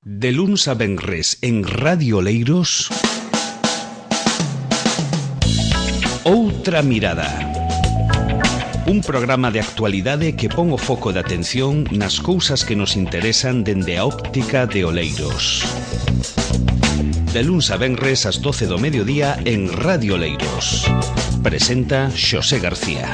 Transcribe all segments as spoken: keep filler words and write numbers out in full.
De luns a venres en Radio Oleiros, Outra Mirada. Un programa de actualidade que pon o foco de atención nas cousas que nos interesan dende a óptica de Oleiros. De luns a venres ás doce do mediodía en Radio Oleiros. Presenta Xosé García.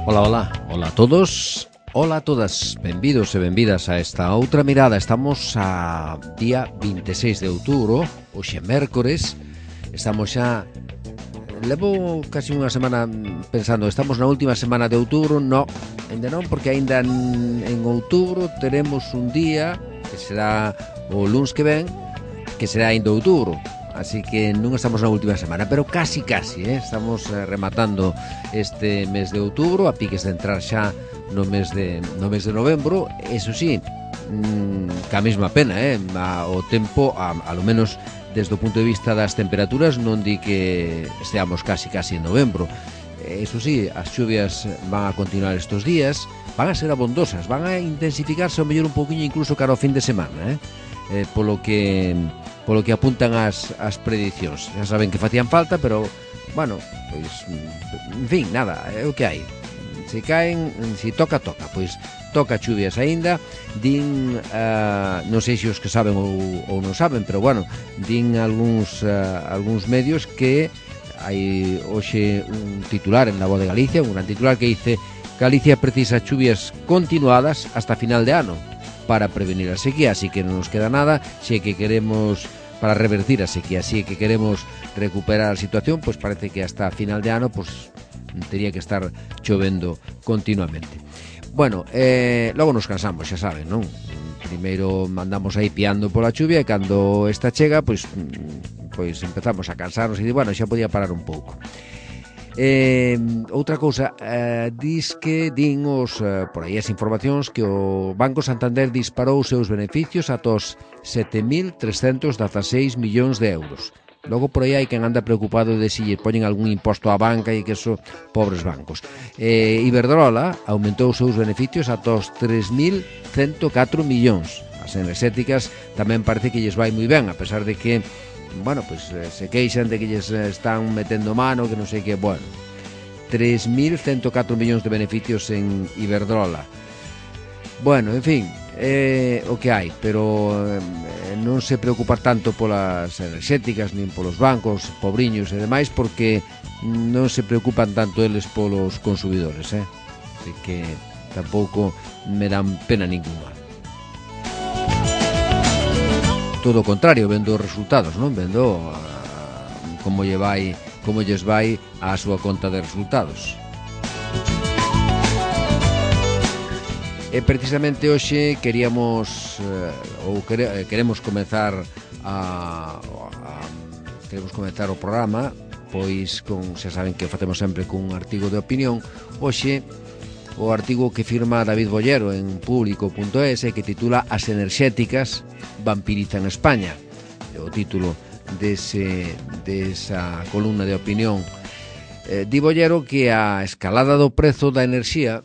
Ola, ola, ola a todos, ola a todas, benvidos e benvidas a esta outra mirada. Estamos a día vinte e seis de outubro, hoxe mércores. Estamos xa, levo casi unha semana pensando, estamos na última semana de outubro. No, ainda non, porque ainda en, en outubro teremos un día que será o luns que ven, que será ainda outubro. Así que non estamos na última semana, pero casi, casi, eh? Estamos eh, rematando este mes de outubro, a piques de entrar xa no mes de, no mes de novembro. Eso sí, mmm, ca mesma pena, eh? A, o tempo, a, a lo menos desde o punto de vista das temperaturas, non di que esteamos casi, casi en novembro. Eso sí, as chuvias van a continuar estos días, van a ser abondosas, van a intensificarse ao mellor un poquinho incluso cara ao fin de semana, eh? Eh, polo que... polo que apuntan as, as predicións. Já saben que facían falta, pero, bueno, pois, en fin, nada, é o que hai. Se caen, se toca, toca, pois toca chuvias aínda. Din, uh, non sei se os que saben ou, ou non saben, pero, bueno, din algúns, uh, algúns medios que hai hoxe un titular en La Voz de Galicia, un gran titular que dice: Galicia precisa chuvias continuadas hasta final de ano para prevenir a sequía, así que non nos queda nada. Se que queremos, para revertir a sequía, si que queremos recuperar a situación, pois parece que hasta final de ano pois teria que estar chovendo continuamente. Bueno, eh, logo nos cansamos, xa saben, non? Primeiro mandamos aí piando pola chuvia e cando esta chega, pois pois empezamos a cansarnos e di, bueno, xa podía parar un pouco. Eh, outra cousa, eh, dis que din os, eh, por aí as informacións, que o Banco Santander disparou os seus beneficios ata os sete mil trescentos dezaseis millóns de euros. Logo por aí hai quen anda preocupado de si lle poñen algún imposto á banca e que eso, pobres bancos. eh, Iberdrola aumentou os seus beneficios ata os tres mil cento catro millóns. As enerxéticas tamén parece que lles vai moi ben, a pesar de que, bueno, pois pues, se queixan de que lles están metendo mano, que non sei que, bueno, tres mil cento catro millóns de beneficios en Iberdrola. Bueno, en fin, é eh, o que hai, pero eh, non se preocupar tanto polas enerxéticas nin polos bancos, pobriños e demais, porque non se preocupan tanto eles polos consumidores, eh? Así que tampouco me dan pena ninguna. Todo o contrario, vendo os resultados, non? Vendo uh, como lle vai, como lles vai á súa conta de resultados. E precisamente hoxe queríamos uh, ou quere, queremos comezar a, a queremos comezar o programa, pois con, xa saben que o facemos sempre con un artigo de opinión. Hoxe o artigo que firma David Bollero en público punto es, que titula As enerxéticas vampirizan España. O título dese, desa columna de opinión. Eh, di Bollero que a escalada do prezo da enerxía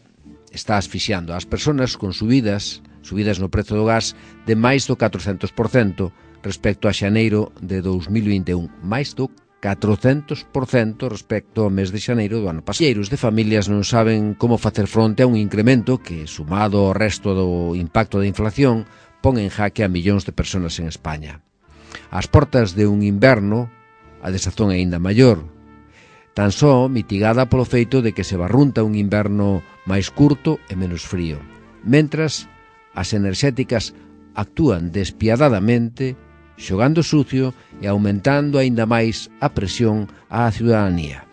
está asfixiando ás persoas con subidas, subidas no prezo do gas de máis do catrocentos por cento respecto a xaneiro de dous mil vinte e un. Máis do catrocentos por cento respecto ao mes de xaneiro do ano pasado. Milleiros de familias non saben como facer fronte a un incremento que, sumado ao resto do impacto da inflación, pon en jaque a millóns de persoas en España. Ás portas de un inverno, a desazón é aínda maior, tan só mitigada polo feito de que se barrunta un inverno máis curto e menos frío, mentras as enerxéticas actúan despiadadamente, xogando sucio e aumentando aínda máis a presión á ciudadanía.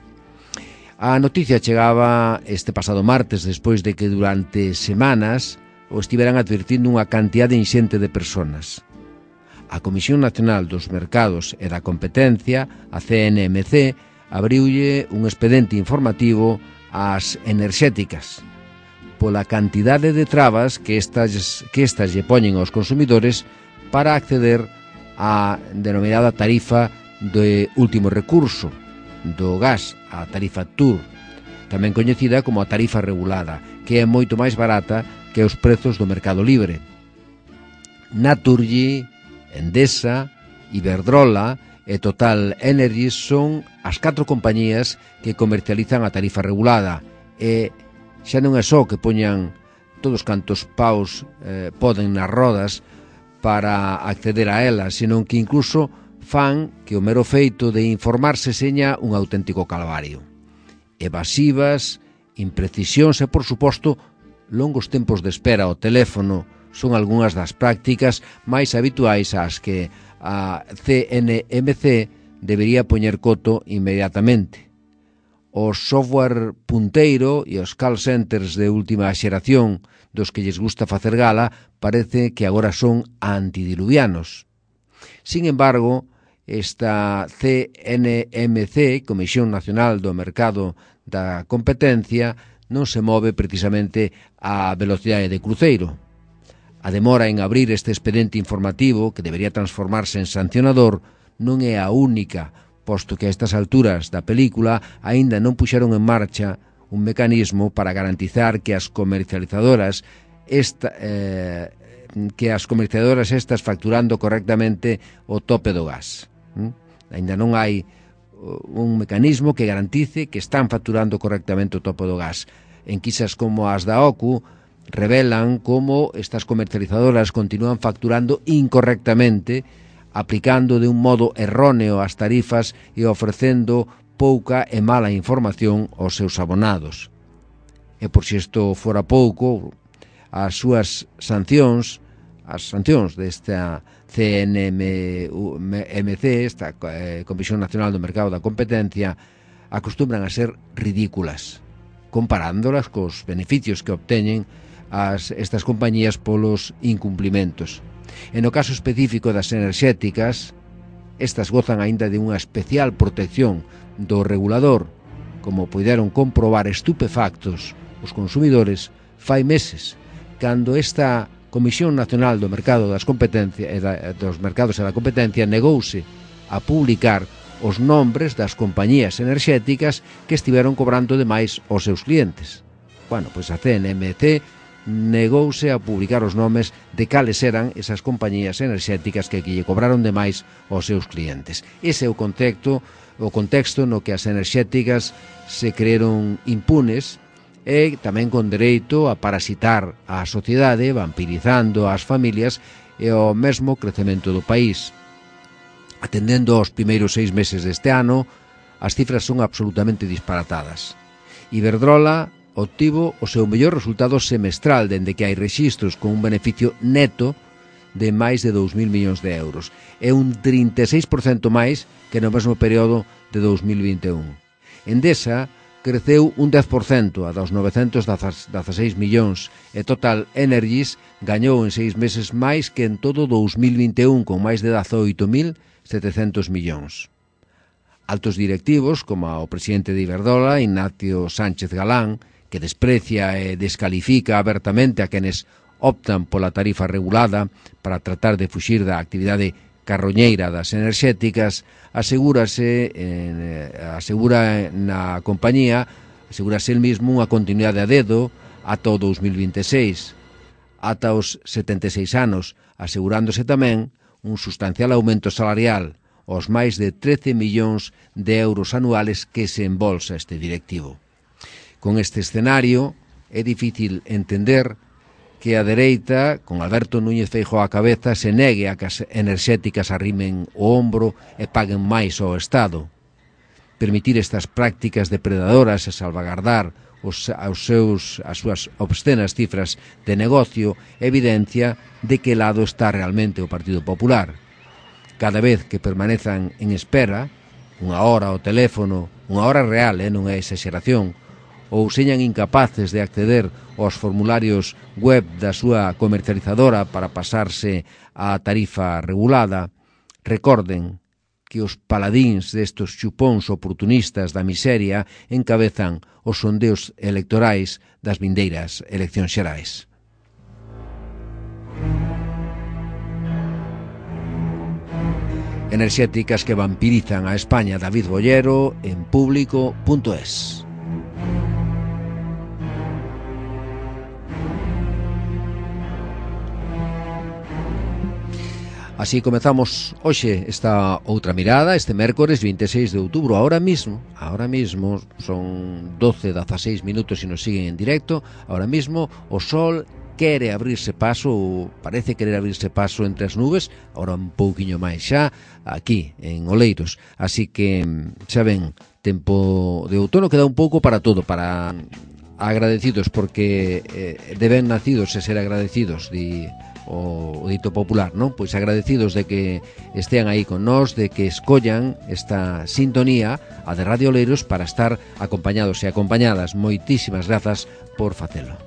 A noticia chegaba este pasado martes despois de que durante semanas o estiveran advertindo unha cantidade inxente de persoas. A Comisión Nacional dos Mercados e da Competencia, a C N M C, abriulle un expediente informativo ás enerxéticas pola cantidade de trabas que estas, que estas lle poñen aos consumidores para acceder a denominada tarifa de último recurso, do gas, a tarifa T U R, tamén coñecida como a tarifa regulada, que é moito máis barata que os prezos do mercado libre. Naturgy, Endesa, Iberdrola e Total Energies son as catro compañías que comercializan a tarifa regulada, e xa non é só que poñan todos cantos paus eh, poden nas rodas para acceder a ela, senón que incluso fan que o mero feito de informarse seña un auténtico calvario. Evasivas, imprecisións e, por suposto, longos tempos de espera ao teléfono son algunhas das prácticas máis habituais ás que a C N M C debería poñer coto inmediatamente. O software punteiro e os call centers de última xeración dos que lles gusta facer gala parece que agora son antidiluvianos. Sin embargo, esta C N M C, Comisión Nacional do Mercado da Competencia, non se move precisamente a velocidade de cruceiro. A demora en abrir este expediente informativo, que debería transformarse en sancionador, non é a única, posto que a estas alturas da película aínda non puxeron en marcha un mecanismo para garantizar que as comercializadoras esta, eh, que as comercializadoras estas facturando correctamente o tope do gas. ¿Mm? Ainda non hai un mecanismo que garantice que están facturando correctamente o tope do gas. Enquisas como as da O C U revelan como estas comercializadoras continúan facturando incorrectamente, aplicando de un modo erróneo as tarifas e ofrecendo pouca e mala información aos seus abonados. E por si isto fora pouco, as súas sancións, as sancións desta C N M C, esta Comisión Nacional do Mercado da Competencia, acostumbran a ser ridículas, comparándolas cos beneficios que obteñen as, estas compañías polos incumplimentos. E no caso específico das enerxéticas, estas gozan aínda de unha especial protección do regulador, como puideron comprobar estupefactos os consumidores fai meses, cando esta Comisión Nacional do Mercado das Competencias e da, dos Mercados e da Competencia negouse a publicar os nombres das compañías enerxéticas que estiveron cobrando demais aos seus clientes. Bueno, pois a C N M C negouse a publicar os nomes de cales eran esas compañías enerxéticas que lle cobraron demais aos seus clientes. Ese é o contexto, o contexto no que as enerxéticas se creeron impunes e tamén con dereito a parasitar a sociedade, vampirizando as familias e o mesmo crecemento do país. Atendendo aos primeiros seis meses deste ano, as cifras son absolutamente disparatadas. Iberdrola obtivo o seu mellor resultado semestral dende que hai rexistros con un beneficio neto de máis de dous mil millóns de euros. É un trinta e seis por cento máis que no mesmo período de dous mil vinte e un. Endesa creceu un dez por cento a dos novecentos dezaseis millóns e Total Energies gañou en seis meses máis que en todo dous mil vinte e un con máis de dezaoito mil setecentos millóns. Altos directivos, como o presidente de Iberdrola, Ignacio Sánchez Galán, que desprecia e descalifica abertamente a quenes optan pola tarifa regulada para tratar de fuxir da actividade carroñeira das enerxéticas, asegúrase eh, asegura na compañía, asegúrase el mismo unha continuidade a dedo ata o dous mil vinte e seis, ata os setenta e seis anos, asegurándose tamén un sustancial aumento salarial, os máis de trece millóns de euros anuales que se embolsa este directivo. Con este escenario, é difícil entender que a dereita, con Alberto Núñez Feijóo á cabeza, se negue a que as enerxéticas arrimen o ombro e paguen máis ao Estado. Permitir estas prácticas depredadoras e salvagardar os, aos seus, as súas obscenas cifras de negocio evidencia de que lado está realmente o Partido Popular. Cada vez que permanezan en espera, unha hora ao teléfono, unha hora real, eh, non é exageración, ou señan incapaces de acceder aos formularios web da súa comercializadora para pasarse á tarifa regulada, recorden que os paladíns destos chupóns oportunistas da miseria encabezan os sondeos electorais das vindeiras eleccións xerais. enerxéticas que vampirizan a España. David Bollero en público punto es. Así comezamos hoxe esta outra mirada, este mércores vinte e seis de outubro. Ahora mismo, ahora mismo son doce, dezaseis minutos e nos siguen en directo. Ahora mismo o sol quere abrirse paso, ou parece querer abrirse paso entre as nubes, ahora un pouquiño máis xa, aquí, en Oleiros. Así que, xa ven, tempo de outono queda un pouco para todo, para agradecidos, porque eh, deben nacidos e ser agradecidos, di o, o dito popular, non? Pois agradecidos de que estean aí con nós, de que escollan esta sintonía, a de Radio Oleiros, para estar acompañados e acompañadas. Moitísimas grazas por facelo.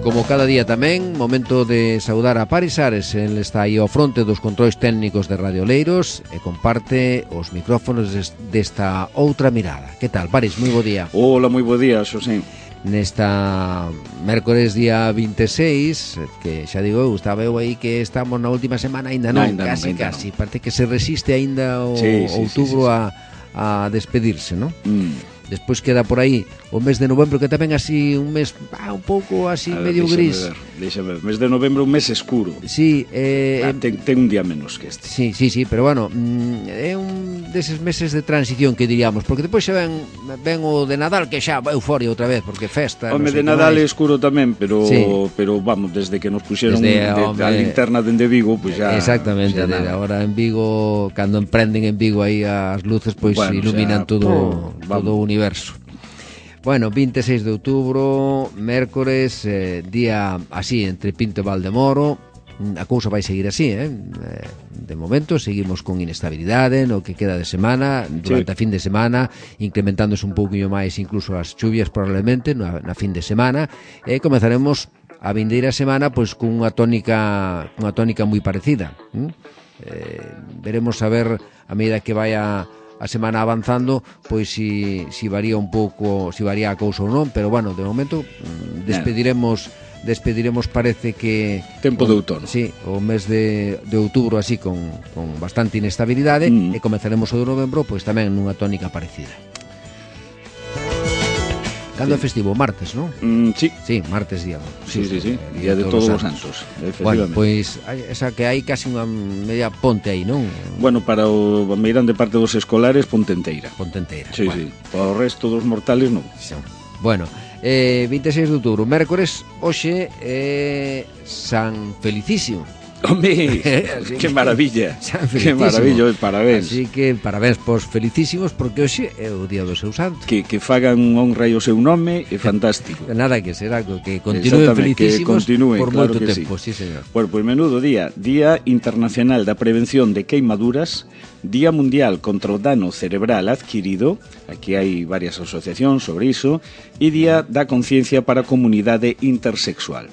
Como cada día tamén, momento de saudar a Paris Ares. El está aí ao fronte dos controis técnicos de Radio Oleiros e comparte os micrófonos desta outra mirada. Que tal, Paris? Moi bo día. Hola, moi bo día, Xosé. Nesta mércores día vinte e seis, que xa digo eu, estaba eu aí que estamos na última semana, aínda non, no, casi, non, casi non. Parece que se resiste aínda o sí, sí, outubro sí, sí, sí. A, a despedirse, non? Mm. Despois queda por aí o mes de novembro, que tamén así un mes ah, un pouco así ver, medio gris. Deixame ver, mes de novembro un mes escuro. Sí, eh, ah, ten, ten un día menos que este. Sí, sí, sí, pero bueno, mm, é un deses meses de transición que diríamos, porque depois xa ven, ven o de Nadal, que xa vai euforia outra vez, porque festa. O no de Nadal é escuro tamén, pero sí. pero vamos, desde que nos puxeron desde, de, hombre, a linterna dende Vigo, pois pues xa. Exactamente, xa de, agora en Vigo, cando emprenden en Vigo aí as luces, pois pues, bueno, iluminan xa, todo, oh, todo o universo. Bueno, vinte e seis de outubro, mércores, eh, día así entre Pinto e Valdemoro. A cousa vai seguir así, eh? De momento seguimos con inestabilidade no que queda de semana, durante sí. a fin de semana, incrementándose un pouquinho máis incluso as chuvias probablemente na, na fin de semana, e comezaremos a vindeira semana pois con unha tónica unha tónica moi parecida. ¿Mm? Eh, veremos a ver a medida que vaya a semana avanzando, pois si, si varía un pouco, si varía a cousa ou non, pero bueno, de momento despediremos despediremos parece que tempo de outono. Sí, o mes de, de outubro así con, con bastante inestabilidade mm. e comezaremos o de novembro pois tamén nunha tónica parecida. Cando é festivo? Martes, non? Mm, sí. Sí, martes día. Sí, sí, sí, sí. Día, día de, de todos, todos os santos, efectivamente. Bueno, pois, pues, esa que hai casi unha media ponte aí, non? Bueno, para o meirán de parte dos escolares, ponte enteira. Ponte enteira. Sí, bueno. sí. Para o resto dos mortales, non. Sí. Bueno, eh, vinte e seis de outubro, mércores, hoxe é eh, San Felicísimo. Home, que maravilla, que maravilla, parabéns. Así que parabéns pos felicísimos, porque hoxe é o día do seu santo. Que, que fagan honra ao seu nome, é fantástico. Nada que será, que continúen felicísimos que continúen, por claro moito tempo, sí. sí señor. Bueno, pois pues menudo día, Día Internacional da Prevención de Queimaduras, Día Mundial contra o Dano Cerebral Adquirido, aquí hai varias asociacións sobre iso, e Día da Conciencia para a Comunidade Intersexual.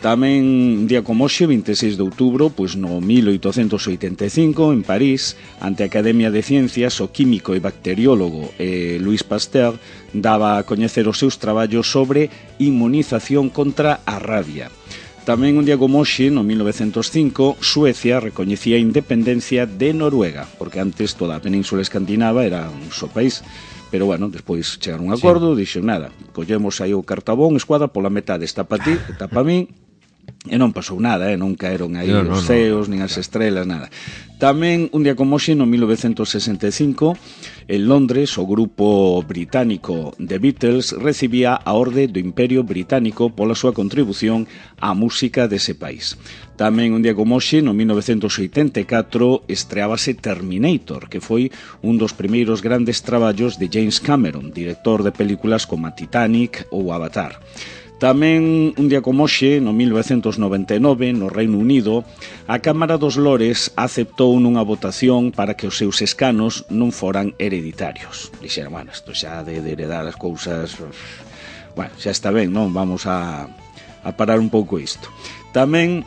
Tamén un día como hoxe, vinte e seis de outubro, pois no mil oitocentos oitenta e cinco, en París, ante a Academia de Ciencias, o químico e bacteriólogo eh, Louis Pasteur daba a coñecer os seus traballos sobre inmunización contra a rabia. Tamén un día como hoxe, no mil novecentos cinco, Suecia recoñecía a independencia de Noruega, porque antes toda a península escandinava era un só país. Pero bueno, despois chegaron un acordo, sí. Dixo nada, collemos aí o cartabón, escuadra, pola metade está pa ti, está pa mí. E non pasou nada, eh? Non caeron aí no, no, os ceos, no, nin as estrelas, nada. Tamén, un día como hoxe, no mil novecentos sesenta e cinco, en Londres, o grupo británico The Beatles recibía a orde do Imperio Británico pola súa contribución á música dese país. Tamén, un día como hoxe, no mil novecentos oitenta e catro, estreábase Terminator, que foi un dos primeiros grandes traballos de James Cameron, director de películas como Titanic ou Avatar. Tamén, un día como hoxe, no mil novecentos noventa e nove, no Reino Unido, a Cámara dos Lores aceptou nunha votación para que os seus escanos non foran hereditarios. Dixeron, bueno, isto xa de, de heredar as cousas... Bueno, xa está ben, non? Vamos a, a parar un pouco isto. Tamén,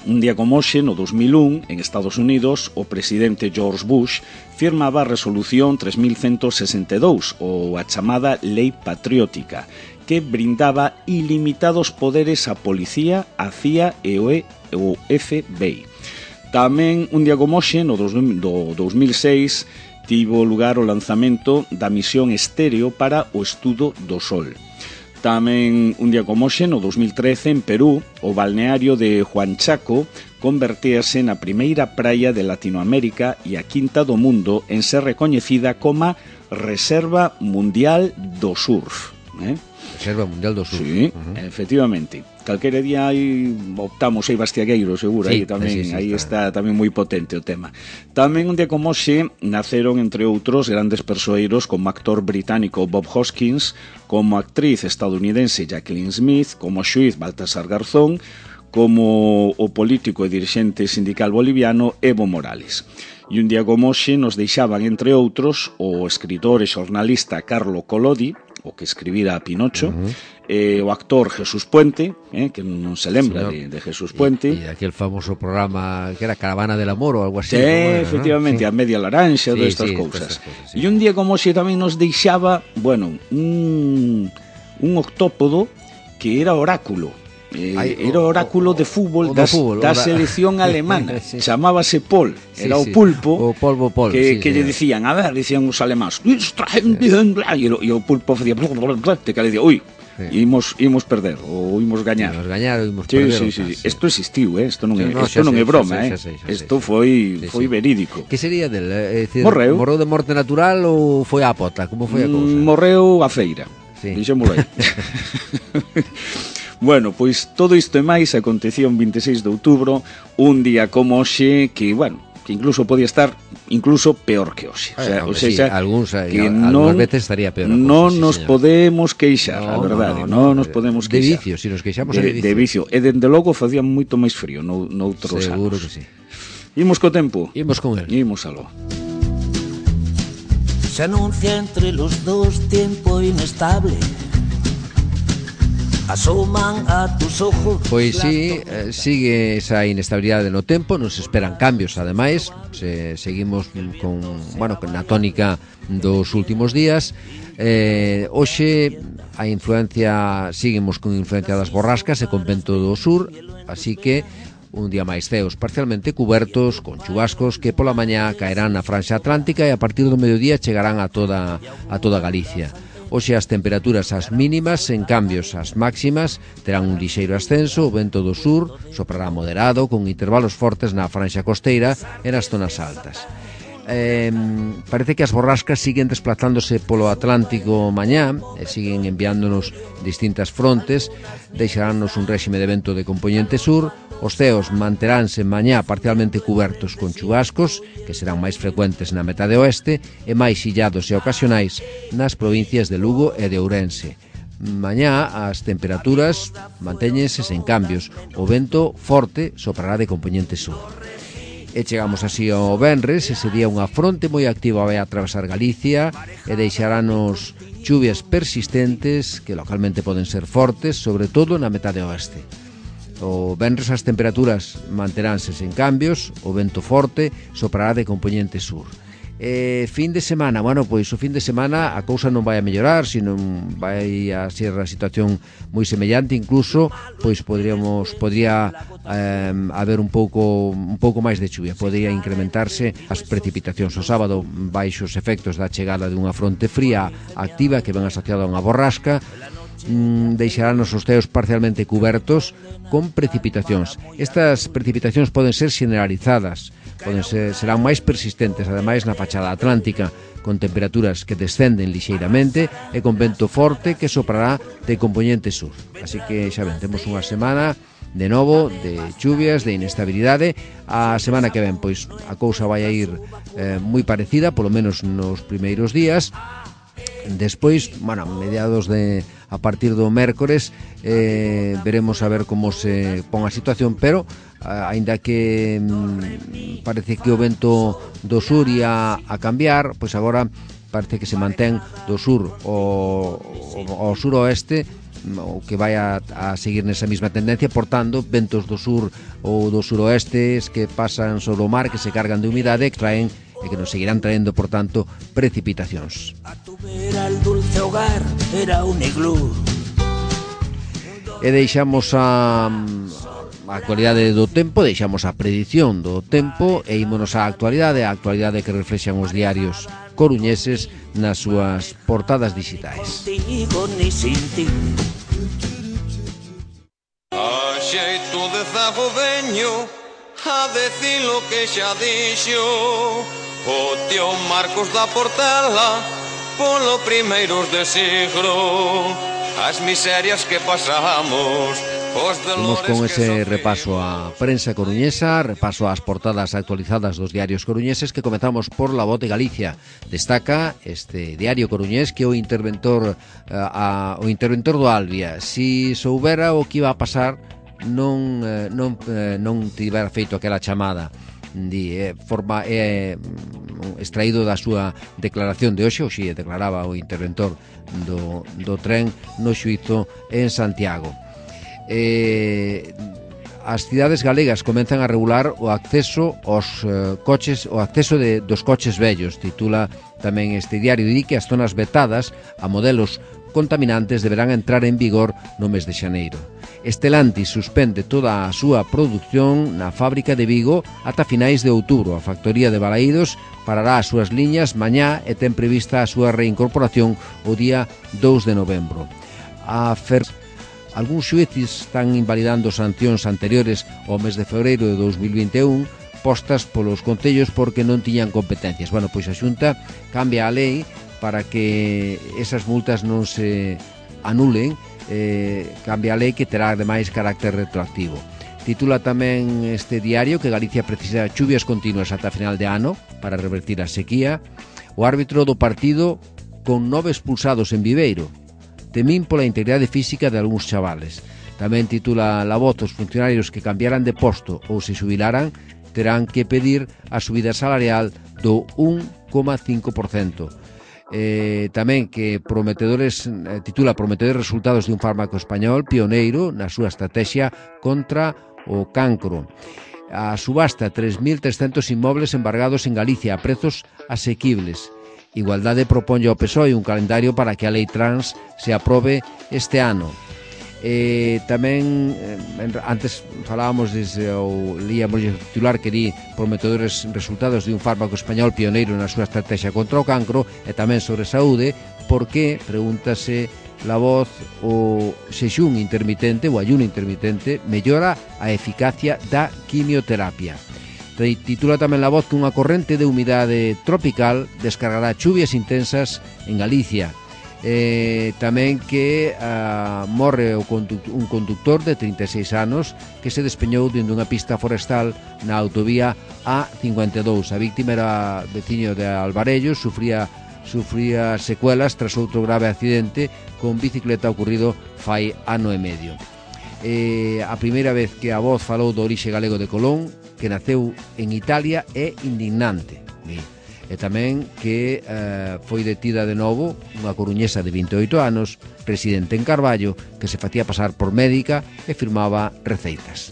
un día como hoxe, no dos mil un, en Estados Unidos, o presidente George Bush firmaba a resolución tres mil ciento sesenta e dous, ou a chamada Lei Patriótica, que brindaba ilimitados poderes á policía, a C I A e o F B I. Tamén un día como hoxe, no do dous mil seis, tivo lugar o lanzamento da misión estéreo para o estudo do Sol. Tamén un día como hoxe, no dous mil trece, en Perú, o balneario de Huanchaco convertíase na primeira praia de Latinoamérica e a quinta do mundo en ser recoñecida como Reserva Mundial do Surf. Eh? Reserva Mundial do Surf. Sí, uh-huh. Efectivamente. Calquera día aí optamos aí Bastiagueiro, seguro, sí, aí tamén, sí, sí, aí está. está tamén moi potente o tema. Tamén un día como hoxe naceron, entre outros, grandes persoeiros como actor británico Bob Hoskins, como actriz estadounidense Jacqueline Smith, como xuiz Baltasar Garzón, como o político e dirixente sindical boliviano Evo Morales. E un día como hoxe nos deixaban, entre outros, o escritor e xornalista Carlo Collodi, o que escribira a Pinocho, uh-huh. eh, o actor Jesús Puente, eh, que non se lembra sí, de, de Jesús Puente. E aquel famoso programa que era Caravana del Amor ou algo así. Sí, era, efectivamente, ¿no? Sí. A Media Laranxa, sí, todas estas sí, cousas. Cosas, sí. E un día como hoxe tamén nos deixaba, bueno, un, un octópodo que era oráculo. Eh, Ay, era o oráculo o, de fútbol da selección alemana. Sí. Chamábase Pol, era sí, sí. o pulpo, o polvo Pol, que, sí, que sí, lle dicían, a ver, dicían os alemáns, e o pulpo facía te que le dicía, ui, sí. imos, imos perder ou imos gañar. Imos gañar ou imos sí, perder. Sí, sí, sí. Isto existiu, eh? Isto non é, no, isto non é broma, eh? Isto foi sí, foi sí. verídico. Que sería del, é dicir, morreu. Morreu de morte natural ou foi a pota? Como foi a cousa? Mm, morreu a feira. Sí. Dixémolo aí. Bueno, pois todo isto e máis acontecía un vinte e seis de outubro, un día como hoxe que, bueno, que incluso podía estar incluso peor que hoxe. O sea, o sea sí, algúns, que algúns non, veces estaría peor. Non sí, nos señor. podemos queixar, no, a verdade, no, no, non nos podemos queixar. De vicio, si nos queixamos de, de vicio. De vicio, e dende logo facía moito máis frío no, noutros Seguro anos. que sí. Imos co tempo. Imos con el. Imos aló. Se anuncia entre los dos tiempo inestable. Asoman a tus ojos. Pois sí, eh, sigue esa inestabilidade no tempo, nos esperan cambios, ademais, se, seguimos con, bueno, con a tónica dos últimos días. Eh, hoxe a influencia, seguimos con influencia das borrascas e con vento do sur, así que un día máis ceos parcialmente cubertos, con chubascos que pola mañá caerán na franxa atlántica e a partir do mediodía chegarán a toda, a toda Galicia. Hoxe as temperaturas as mínimas, en cambios as máximas terán un lixeiro ascenso, o vento do sur soprará moderado con intervalos fortes na franxa costeira e nas zonas altas. Eh, parece que as borrascas siguen desplazándose polo Atlántico mañá e siguen enviándonos distintas frontes, deixaránnos un réxime de vento de compoñente sur. Os ceos manteránse mañá parcialmente cubertos con chubascos, que serán máis frecuentes na metade oeste, e máis illados e ocasionais nas provincias de Lugo e de Ourense. Mañá as temperaturas mantéñense sen cambios, o vento forte soprará de compoñente sur. E chegamos así ao venres, ese día unha fronte moi activa vai a atravesar Galicia e deixarános chuvias persistentes que localmente poden ser fortes, sobre todo na metade oeste. O venres as temperaturas manteránse sen cambios, o vento forte soprará de compoñente sur. E fin de semana, bueno, pois o fin de semana a cousa non vai a mellorar, sino vai a ser a situación moi semellante, incluso pois podríamos podría eh, haber un pouco un pouco máis de chuvia, podría incrementarse as precipitacións o sábado baixo os efectos da chegada dunha fronte fría activa que ven asociada a unha borrasca. Deixarános os ceos parcialmente cubertos con precipitacións. Estas precipitacións poden ser generalizadas, poden ser, serán máis persistentes, ademais na fachada atlántica, con temperaturas que descenden lixeiramente e con vento forte que soprará de compoñente sur. Así que xa ven, temos unha semana de novo de chuvias, de inestabilidade. A semana que ven, pois a cousa vai a ir eh, moi parecida, polo menos nos primeiros días. Despois, bueno, mediados de a partir do mércores eh, veremos a ver como se pon a situación, pero a, aínda que mm, parece que o vento do sur ia a cambiar, pois agora parece que se mantén do sur ao, ao suroeste, o que vai a, a seguir nesa mesma tendencia, portando ventos do sur ou do suroeste que pasan sobre o mar, que se cargan de humidade, que traen e que nos seguirán traendo, por tanto, precipitacións. A tu vera el dulce hogar era un iglú. E deixamos a, a actualidade do tempo, deixamos a predición do tempo e ímonos á actualidade, a actualidade que reflexan os diarios coruñeses nas súas portadas digitais. A xeito de zago veño a decir lo que xa dixo o tío Marcos da Portela polo primeiros de siglo, as miserias que pasamos. Vamos con ese repaso á prensa coruñesa, repaso ás portadas actualizadas dos diarios coruñeses, que comezamos por La Voz de Galicia. Destaca este diario coruñés que o interventor a, a, o interventor do Albia, si soubera o que iba a pasar, non non non tivera feito aquela chamada. Di, eh, forma é eh, extraído da súa declaración de hoxe, hoxe declaraba o interventor do, do tren no xuízo en Santiago. Eh, as cidades galegas comenzan a regular o acceso aos eh, coches, o acceso de, dos coches vellos. Titula tamén este diario, di que as zonas vetadas a modelos contaminantes deberán entrar en vigor no mes de xaneiro. Stellantis suspende toda a súa produción na fábrica de Vigo ata finais de outubro. A factoría de Balaídos parará as súas liñas mañá e ten prevista a súa reincorporación o día dous de novembro. A Fer... Algúns xuíces están invalidando sancións anteriores ao mes de febreiro de dous mil vinte e un postas polos concellos porque non tiñan competencias. Bueno, pois a Xunta cambia a lei para que esas multas non se anulen, eh, cambia a lei que terá ademais carácter retroactivo. Titula tamén este diario que Galicia precisa chuvias continuas ata final de ano para revertir a sequía. O árbitro do partido con nove expulsados en Viveiro, temín pola integridade física de algúns chavales. Tamén titula La Voz, os funcionarios que cambiaran de posto ou se xubilaran terán que pedir a subida salarial do un coma cinco por cento. Eh, tamén que prometedores eh, titula prometedores resultados de un fármaco español pioneiro na súa estrategia contra o cancro. A subasta tres mil trescentos inmobles embargados en Galicia a prezos asequibles. Igualdade proponlle ao P S O E un calendario para que a lei trans se aprobe este ano. Eh, tamén eh, antes falábamos desde o líamos o titular que di prometedores resultados de un fármaco español pioneiro na súa estrategia contra o cancro, e tamén sobre saúde, porque pregúntase La Voz o xexún intermitente, o ayuno intermitente mellora a eficacia da quimioterapia. Titula tamén La Voz que unha corrente de humidade tropical descargará chuvias intensas en Galicia. Eh, tamén que uh, morre o conductor, un conductor de trinta e seis anos que se despeñou dende unha pista forestal na autovía A cincuenta e dous. A víctima era veciño de Alvarellos, sufría, sufría secuelas tras outro grave accidente con bicicleta ocurrido fai ano e medio. Eh, a primeira vez que a Voz falou do orixe galego de Colón, que naceu en Italia, é indignante. E tamén que eh, foi detida de novo unha coruñesa de vinte e oito anos, residente en Carballo, que se facía pasar por médica e firmaba receitas.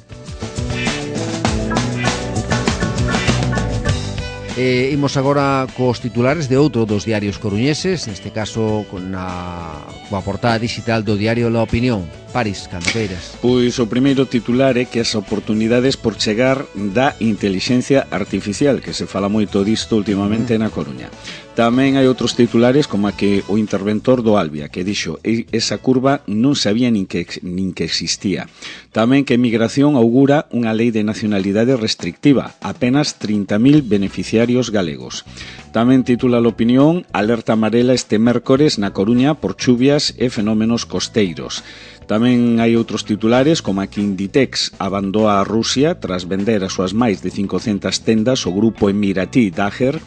E imos agora cos titulares de outro dos diarios coruñeses, neste caso con a, coa portada digital do diario La Opinión. París, cando queiras. Pois o primeiro titular é que as oportunidades por chegar da intelixencia artificial, que se fala moito disto últimamente mm. na Coruña. Tamén hai outros titulares como a que o interventor do Albia, que dixo esa curva non sabía nin que, nin que existía. Tamén que Migración augura unha lei de nacionalidade restrictiva, apenas trinta mil beneficiarios galegos. Tamén titula a Opinión, alerta amarela este mércores na Coruña por chuvias e fenómenos costeiros. Tamén hai outros titulares como a que Inditex abandoa a Rusia tras vender as súas máis de cincocentas tendas ao grupo emiratí Daher.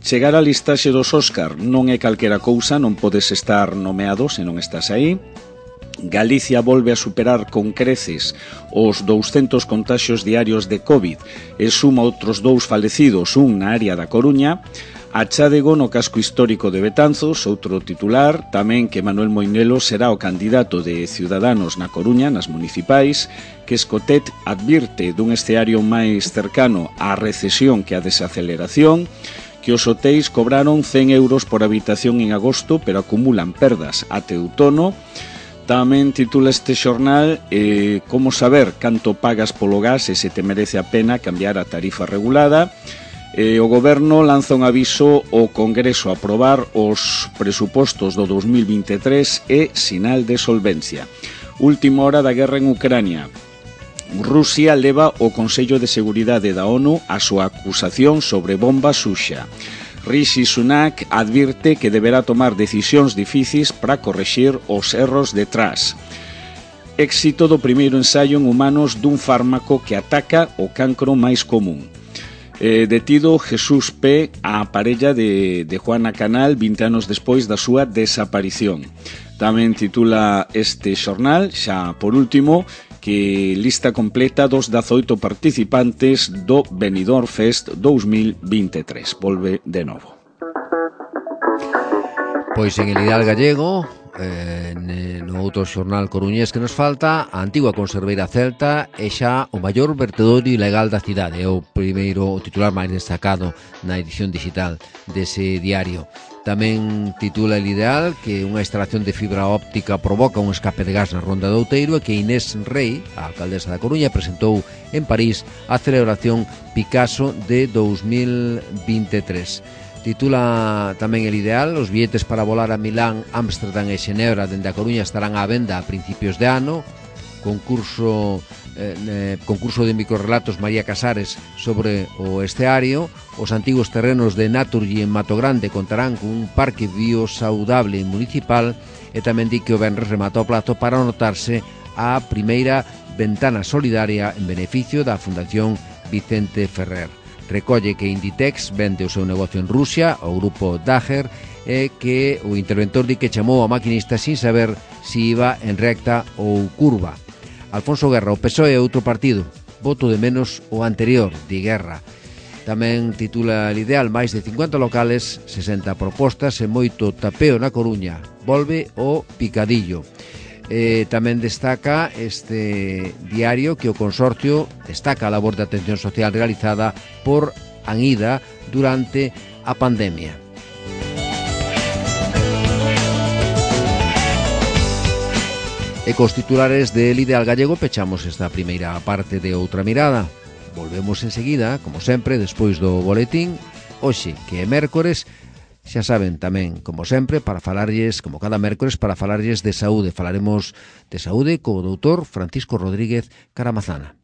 Chegar á listaxe dos Óscar non é calquera cousa, non podes estar nomeado se non estás aí. Galicia volve a superar con creces os douscentos contaxios diarios de COVID e suma outros dous falecidos, un na área da Coruña. A chádego no casco histórico de Betanzos, outro titular, tamén que Manuel Moinelo será o candidato de Ciudadanos na Coruña, nas municipais, que Escotet advirte dun escenario máis cercano á recesión que á desaceleración, que os hotéis cobraron cen euros por habitación en agosto, pero acumulan perdas até outono. Tamén titula este xornal eh, Como saber canto pagas polo gas e se te merece a pena cambiar a tarifa regulada. Eh, o Goberno lanza un aviso ao Congreso a aprobar os presupostos do dos mil vinte e tres e sinal de solvencia. Última hora da guerra en Ucrania. Rusia leva ao Consello de Seguridade da ONU a súa acusación sobre bomba Xuxa. Rishi Sunak advirte que deberá tomar decisións difíciles para correxir os erros detrás. Éxito do primeiro ensaio en humanos dun fármaco que ataca o cancro máis común. Eh, detido Jesús P., a parella de, de Juana Canal, vinte anos despois da súa desaparición. Tamén titula este xornal, xa por último, que lista completa dos dezaoito participantes do Benidorm Fest dos mil vinte e tres. Volve de novo. Pois en el ideal gallego, eh, no outro xornal coruñés que nos falta, a antigua conserveira celta é xa o maior vertedor ilegal da cidade. É o primeiro, o titular máis destacado na edición digital dese diario. Tamén titula El Ideal que unha instalación de fibra óptica provoca un escape de gas na Ronda do Outeiro e que Inés Rei, a alcaldesa da Coruña, presentou en París a celebración Picasso de dos mil vinte e tres. Titula tamén El Ideal, os billetes para volar a Milán, Ámsterdam e Xenebra dende a Coruña estarán á venda a principios de ano. Concurso eh, eh, concurso de microrelatos María Casares sobre o esteario. Os antigos terrenos de Naturgy en Mato Grande contarán con un parque biosaudable municipal e tamén di que o venres remata o plazo para anotarse a primeira ventana solidaria en beneficio da Fundación Vicente Ferrer. Recolle que Inditex vende o seu negocio en Rusia ao grupo Daher e que o interventor di que chamou a maquinista sin saber si iba en recta ou curva. Alfonso Guerra, o P S O E é outro partido, voto de menos o anterior, di Guerra. Tamén titula El Ideal, máis de cincuenta locales, sesenta propostas e moito tapeo na Coruña. Volve o picadillo. Eh, tamén destaca este diario que o consorcio destaca a labor de atención social realizada por Anida durante a pandemia. E cos titulares del Ideal Gallego pechamos esta primeira parte de Outra Mirada. Volvemos enseguida, como sempre, despois do boletín. Hoxe, que é mércores, xa saben tamén, como sempre, para falarlles, como cada mércores, para falarlles de saúde. Falaremos de saúde co doutor Francisco Rodríguez Caramazana.